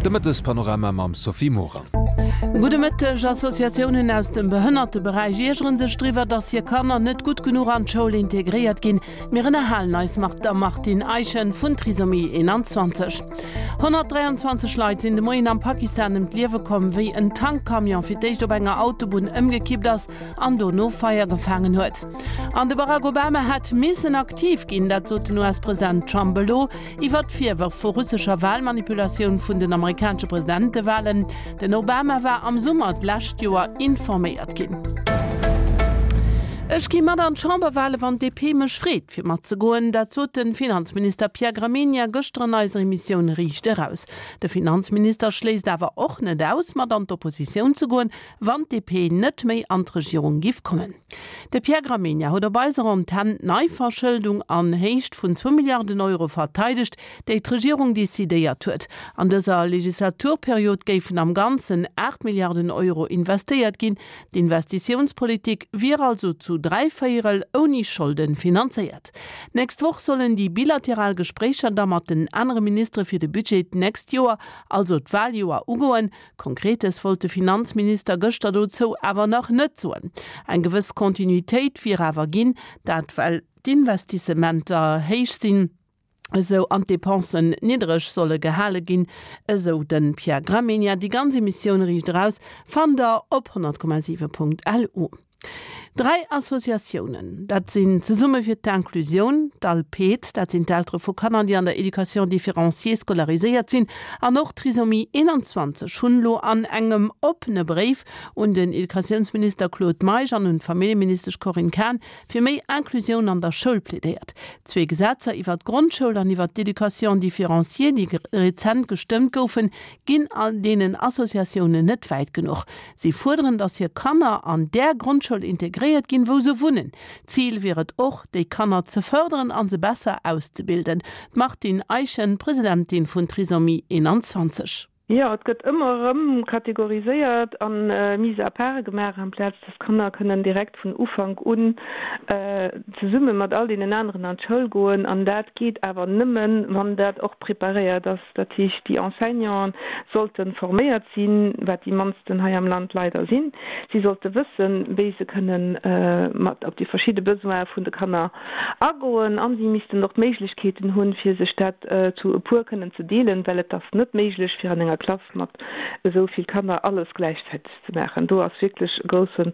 De Mëttespanorama mam Sophie Morang. Gudde Mëtteg. Associatiounen aus dem Behënnerteberäich iergere sech driwwer, datt hir Kanner net gutt genuch an d'Schoul integréiert ginn. Mir ënnerhalen eis mat der Martine Eischen vun Trisomie 21. 123 Leit sinn de Moien am Pakistan ëm d'Liewe komm, wéi en Tankcamion fir d'éischt op enger Autobunn ëmgekippt ass an dono Feier gefaangen huet. An de Barack Obama hätt missen aktiv ginn, dat sot den US-President Trump elo iwwer d'Virwërf vu russescher Walmanipulatioun vun den amerikanesche Presidentewalen. Den Obama war am Summer d'lescht Joer informéiert ginn. Ech gi mat an d'Chamberwale wann d'DP mech freet fir matzegoen. Dat sot de Finanzminister Pierre Gramegna gëschter an eiser Emissioun Riicht Eraus. De Finanzminister schléisst awer och net aus, mat an d'Oppositioun ze goen, wann d'DP net méi an d'Regierung giff kommen. De Pierre Gramegna huet op eiser Antenn d'Neiverschëldung an Héicht vun zwou Milliarden Euro verteidegt, déi d'Regierung decidéiert huet. An dëser Legislaturperiod géifen am Ganzen 8 Milliarden Euro investéiert ginn. D'Investitiounspolitik wier also zu dräivéierel ouni Scholde finanzéiert. D'nächst Woch sollen déi bilateral Gespréicher da mat den anere Ministere fir de Budget d'nächst Joer, also d'Waljoer, ugoen. Konkretes wollt de Finanzminister gëschter dozou awer nach net soen. Eng gewëss Continuitéit wier awer ginn, dat well d'Investissementer héich sinn, esou an d'Depensen niddereg solle gehale ginn, esou de Pierre Gramegna. Déi ganz Emissioun Riicht Eraus fannt der op 100,7.lu. Dräi Associatiounen, dat sinn Zesumme fir d'Inclusioun, d'ALPED, dat sinn d'Eltere vu Kanner, déi an der Éducation différenciée scolariséiert sinn, an och Trisomie 21, hunn elo an engem oppene Bréif un den Educatiounsminister Claude Meisch an un d'Familljeministesch Corinne Cahen fir méi Inclusioun an der Schoul plädéiert. Zwee Gesetzer iwwert d'Grondschoul an iwwert d'Éducation différenciée, déi rezent gestëmmt goufen, ginn deenen Associatiounen net wäit genuch. Si fuerderen, datt hir Kanner an där Grondschoul integréiert ginn, wou se wunnen. Zil wier et och, déi Kanner ze fërderen an se besser auszebilden. D'Martine Eischen, Presidentin vun Trisomie 21. Jo, et gëtt ëmmer erëm kategoriséiert a Mise à part gemaach, amplaz dass d'Kanner kënnen direkt vun Ufank un zesumme mat all deenen aneren an d'Schoul goen. An dat geet awer nëmmen, wann dat och preparéiert ass. Dat heescht, déi Enseignanten sollte forméiert sinn, wat déi mannsten hei am Land leider sinn. Si sollte wëssen, wéi se kënnen mat op déi verschidde Besoine vun de Kanner agoen a si missten och d'Méiglechkeeten hunn, fir sech dat zu e puer kënnen ze deelen, well et ass net méiglech, fir an enger Klass mat esou vill Kanner alles gläichzäiteg ze maachen. Do ass wierklech e grousse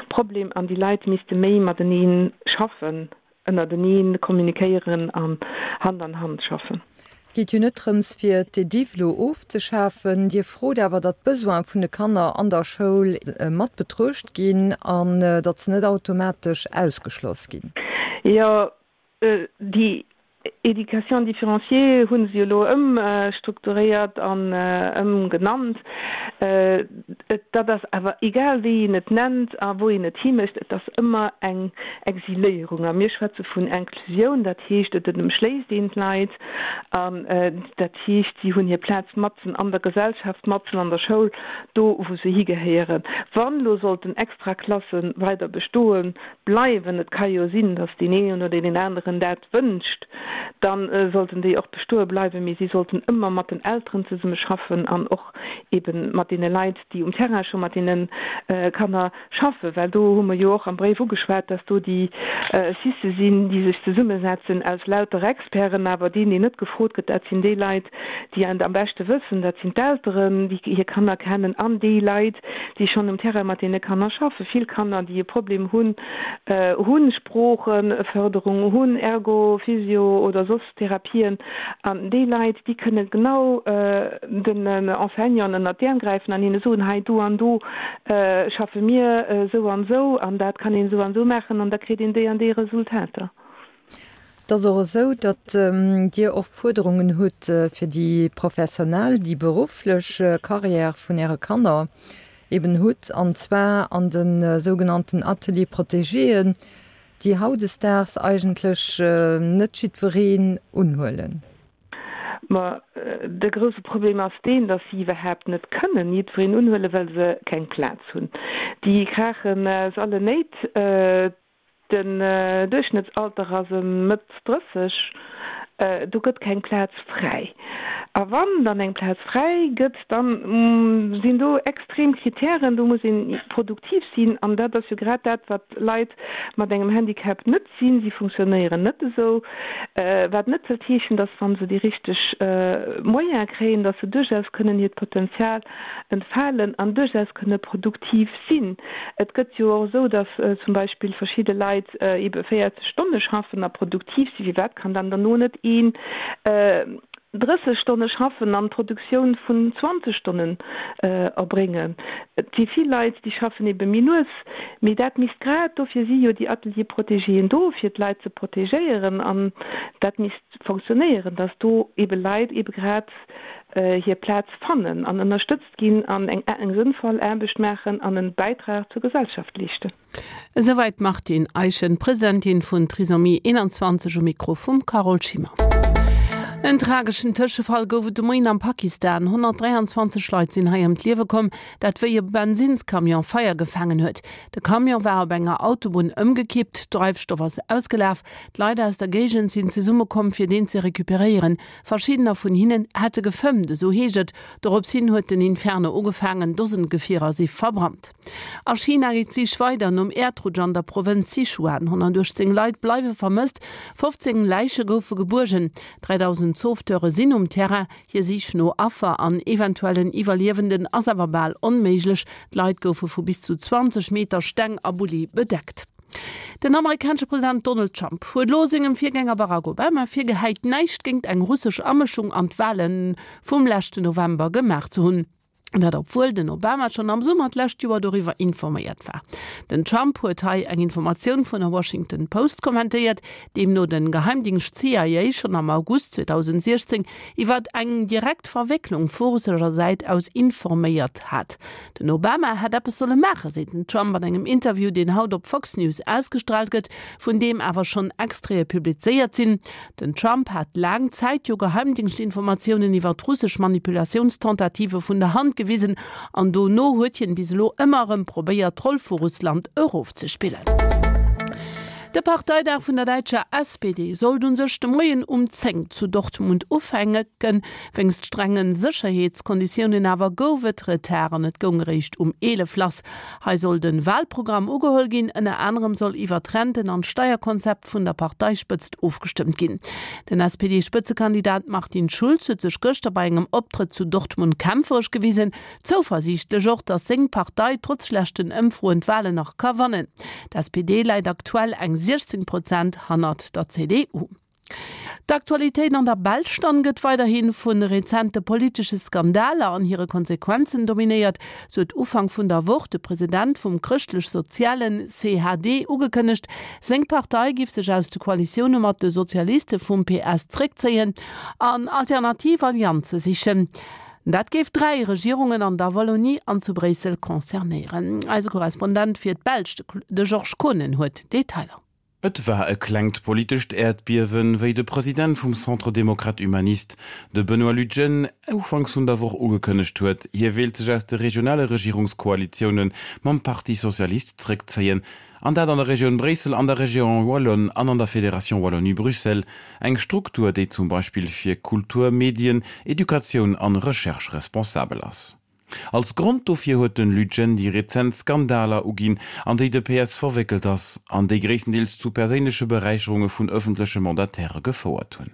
Problem an déi Leit misste méi matenee schaffen. Ënnerteneen kommunikéieren an Hand an Hand schaffen. Et geet jo net drëms fir d'EDIV elo ofzeschafen. Dir frot awer, datt d'Besoine vun de Kanner an der Schoul mat betruecht ginn an datt se net automatesch ausgeschloss ginn. Jo, déi Éducation différenciée hu se jo elo ëmstrukturéiert an ëmgenannt. Dat ass awer egal wéi een et nennt a wou een et himécht, et ass ëmmer eng Exiléierung. A mir schwätze vun Inklusioun, dat heescht, et ëmschléisst een d'Leit an dat heescht, si hunn hir Plaz matzen an der Gesellschaft, matzen an der Schoul, do wou se higehéieren. Wann elo sollten Extraklasse weider bestoe bleiwen, et ka jo sinn, datt deen een oder deen aneren dat wënscht, da sollten déi och bestoe bleiwen, mee si sollten ëmmer mat den Elteren zesumme schaffen an och ebe mat deene Leit, déi um Terrain scho mat deene Kanner schaffen, well do hu mer jo och am Bréif ugeschwat, dass do déi Cisse sinn, déi sech zesummesetzen aus lauter Experten, awer deen, deen net gefrot gëtt, dat sinn déi Leit, déi et am beschte wëssen, dat sinn d'Elteren, déi hir Kanner kennen an déi Leit, déi schonn um Terrain mat deene Kanner schaffen. Vill Kanner, déi e Problem hunn, hu Sproochefërderung, hunn Ergo, Physio oder soss Therapien. An déi Leit, déi kënne genau den Enseignanten ënnert d'Äerm gräifen an hinne soen, hei do an do schaffe mir esou an esou an dat kann een esou an esou maachen an da kritt een déi an déi Resultater. Et ass och esou, datt Dir och Fuerderungen hutt fir déi professionell, déi berufflech Carrière vun Äre Kanner eben hutt, an zwar an de sougenannten Ateliers protégéen, déi hautdesdaags eigentlech net jiddwereen unhuelen. Ma de grousse Problem ass deen, datt si iwwerhaapt net kënnen jiddwereen unhuelen, well se keng Plaz hunn. Déi kraachen aus allen Néit. Den Duerchschnëttsalter ass ëm Mëtt 30, do gëtt keng Plaz fräi. A wann dann eng Plaz fräi gëtt, da sinn do extrem Kritären, do muss ee produktiv sinn. An dat ass jo grad dat, wat Leit mat engem Handicap net sinn. Si funktionéieren net esou, wat net wëllt heeschen, dass, wa se déi richteg Moyene kréien, dass se duerchaus kënnen hiert Potenzial entfalen an duerchaus kënne produktiv sinn. Et gëtt jo och esou, dass zum Beispill verschidde Leit ebe 40 Stonne schaffen a produktiv sinn. Firwat kann dann derno net een 30 Stonne schaffen an d'Produktioun vun 20 Stonnen erbréngen? Et si vill Leit, déi schaffen ebe méi lues, mee dat misst grad, dofir si jo déi Ateliers protégéen do, fir d'Leit ze protegéieren, an dat misst fonctionnéieren, dass do ebe Leit ebe grad hir Plaz fannen an ënnerstëtzt ginn an eng eng sënnvoll Aarbecht maachen an en Bäitrag zur Gesellschaft leeschten. Esouwäit d'Martine Eischen, Presidentin vun Trisomie 21 um Mikro vum Carole Schimmer. En trageschen Tëschefall gouf et de Moien am Pakistan. 123 Leit sinn hei ëm d'Liewe komm, dat wéi e Bensinnscamion Feier gefaangen huet. De Camion war op enger Autobunn ëmgekippt, Dreifstoff ass ausgelaf. D'Leit aus der Géigend sinn zesummekomm, fir deen ze recuperéieren. Verschiddener vun hinnen hätte gefëmmt, esou heescht et. Dorops hin huet den Inferno ugefaangen, Dosen Gefierer si verbrannt. A China geet d'Sich weider nom Äerdrutsch an der Provënz Sichuan. 118 Leit bleiwe vermësst, 15 Läiche goufe gebuergen. 3.000 Sauveteure sinn um Terrain. Hir Sich no Affer an eventuellen Iwwerliewenden ass awer bal onméiglech. D'Leit goufe vu bis zu 20 Meter Steng a Bulli bedeckt. Den amerikanesche President Donald Trump huet elo sengem Virgänger Barack Obama virgehäit, näischt géingt eng russesch Amëschung an d'Wale vum leschten November gemaach ze hunn. Dat obwuel den Obama schonn am Summer d'lescht Joer doriwwer informéiert war. Den Trump huet hei eng Informatioun vun der Washington Post kommentéiert, deemno den Geheimdingscht CIA schonn am August 2016 iwwert eng direkt Verwécklung vu russescher Säit aus informéiert hat. Den Obama hätt eppes solle maachen, seet den Trump an engem Interview, deen haut op Fox News ausgestraalt gëtt, vun deem awer schonn Extraite publizéiert sinn. Den Trump hat laang Zäit jo Geheimdingschtinformatiounen iwwer russesch Manipulatiounstentative vun der Hand gewisen an dono huet hien bis elo ëmmer erëm probéiert, d'Roll vu Russland erofzespillen. De Parteidag vun der däitscher SPD sollt un sech de Moien um 10 zu Dortmund ufänken. Wéinst strenge Sécherheetskonditiounen awer gouf et Retard an et goung eréischt um 11 lass. Hei soll de Walprogramm ugeholl ginn. Ënner anerem soll iwwer d'Renten an d'Steierkonzept vun der Parteispëtzt ofgestëmmt ginn. Den SPD-Spëtzekandidat Martin Schulz huet sech gëschter bei engem Optrëtt zu Dortmund kämpferesch gewisen. Zouversiichtlech och, datt seng Partei trotz schlechten Ëmfroen d'Walen nach ka wannen. D'SPD läit aktuell eng 16 Prozent hannert der CDU. D'Aktualitéit an der Belsch dann gëtt weiderhi vu rezente politesche Skandaler an hire Konsequenzen dominéiert. Sou huet Ufank vun der Woch de President vum chrëschtlech-sozialen CHD ugekënnegt, seng Partei giff sech aus de Koalitioune mat de Sozialiste vum PS zréckzéien an alternativ Allianze sichen. Dat géif 3 Regierungen an der Wallonie an zu Bréissel concernéieren. Eise Korrespondent fir d'Belsch, de Georges Kohnen, huet d'Detailer. Et war e klengt politescht Äerdbiewen, wéi de President vum Centre Démocrate Humaniste, de Benoît Lutgen, ufanks vun der Woch ugekënnegt huet, hie wéilt sech aus de regionale Regierungskoalitioune mam Parti Socialiste zréckzéien, an dat an der Regioun Bréissel, an der Région Wallonne an an der Fédération Wallonie-Bruxelles, eng Struktur, déi zum Beispill fir Kultur, Medien, Educatioun an Recherche responsabel ass. Als Grond dofir huet den Lutgen déi rezent Skandaler uginn, an déi de PS verwéckelt ass, an déi gréisstendeels zu perséinleche Beräicherunge vun ëffentleche Mandataire gefouert hunn.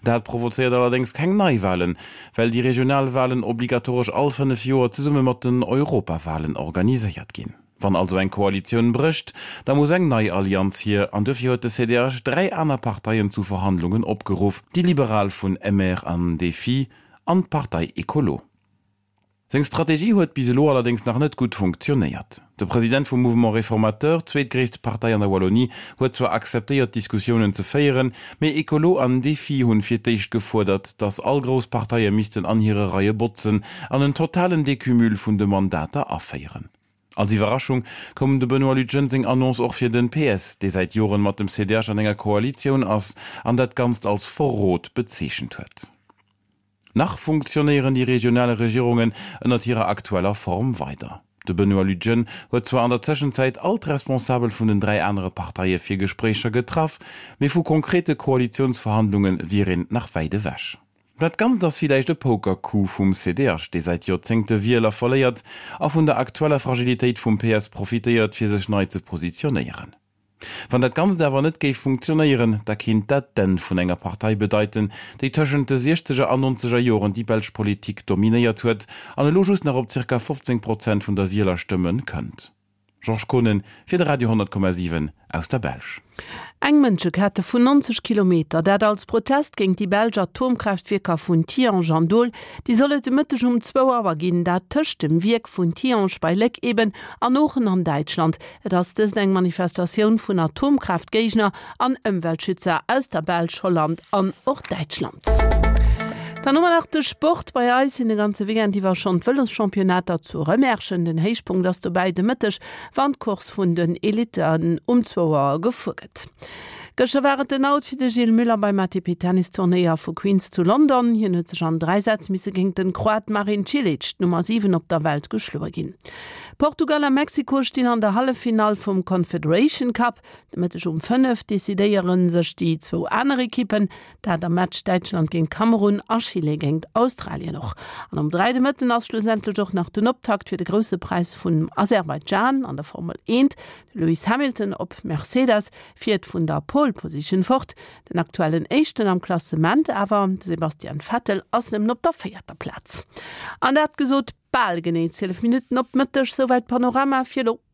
Dat provozéiert allerdéngs keng Neiwalen, well déi regional Walen obligatoresch all 5 Joer zesumme mat den Europawalen organiséiert ginn. Wann also eng Koalitioun brécht, da muss eng nei Allianz hier, an duerfir huet de CDH 3 aner Parteien zu Verhandlungen opgeruff, déi Liberal vun MR an DéFi an d'Partei Ecolo. Seng Strategie huet bis elo allerdéngs nach net gutt funktionéiert. De President vum Mouvement Réformateur, zweetgréisst Partei an der Wallonie, huet zwar akzeptéiert Diskussiounen ze féieren, mee Ecolo an Défi hunn fir d'éischt gefuerdert, datt all grouss Parteie missten an hire Reie botzen an en totalen Decumul vun de Mandater aféieren. Als Iwwerraschung koum dem Benoît Lutgen seng Annonce och fir den PS, dee säit Joren mat dem CDH an enger Koalitioun ass an dat Ganzt als Verrot bezeechent huet. Nach funktionéieren déi regional Regierungen ënnert hirer aktueller Form weider. De Benoît Lutgen huet zwar an der Tëschenzäit all d'Responsabel vun den 3 anere Parteie fir Gespréicher getraff, mee vu konkrete Koalitiounsverhandlunge wier een nach wäit ewech. Dat Ganzt ass villäicht e Poker-Coup vum CDH, dee säit Joerzéngte Wieler verléiert a vun der aktueller Fragilitéit vum PS profitéiert, fir sech nei ze positionéieren. Wann dat Ganzt awer net géif funktionéieren, da kinnt dat d'Enn vun enger Partei bedeiten, déi tëschent de siechzeger an nonzeger Joren déi belsch Politik dominéiert huet an elo just nach op zirka 15 Prozent vun der Wielerstëmme kënnt. Georges Kohnen fir de Radio 100,7 aus der Belsch. Eng Mënschekette vun 90 Kilometer, dat als Protest géint déi belsch Atomkraaftwierker vun Tihange an Doel, déi soll et de Mëtteg um zwou Auer ginn, dat tëscht dem Wierk vun Tihange bei Léck eben an Oochen an Däitschland. Et ass dëst eng Manifestatioun vun Atomkraaftgéigner an Ëmweltschützer aus der Belsch, Holland an och Däitschland. Dann hu mer nach de Sport. Bei eis sinn de ganze Weekend iwwer schonn d'Vëloschampionnater zu Rëmerschen. Den Héichpunkt ass dobäi de Mëtteg, wann d'Course vun den Elitten um zwou Auer gefuer gëtt. Gëschter war et den Out fir de Gilles Müller beim ATP-Tennisturnéier vu Queens zu London. Hien huet sech an 3 Sätz misse géint den Kroat Marin Cilic, d'Nummer 7 op der Welt, geschloe ginn. Portugal a Mexiko stinn an der Halleffinall vum Confederation Cup. De Mëtteg um 5 decidéiere sech déi zwou aner Ekippen, dat am Match Däitschland géint Kamerun a Chile géint Australien och. An um 3 de Mëtten ass schlussendlech och nach den Optakt fir de Grousse Präis vun Aserbaidschan an der Formel 1. De Lewis Hamilton op Mercedes fiert vun der Pole Position fort. Den aktuellen Éischten am Klassement awer, de Sebastian Vettel, ass nëmmen op der véierter Plaz. An dat gesot, bal genee 12 Minutten op Mëtteg, souwäit Panorama fir elo.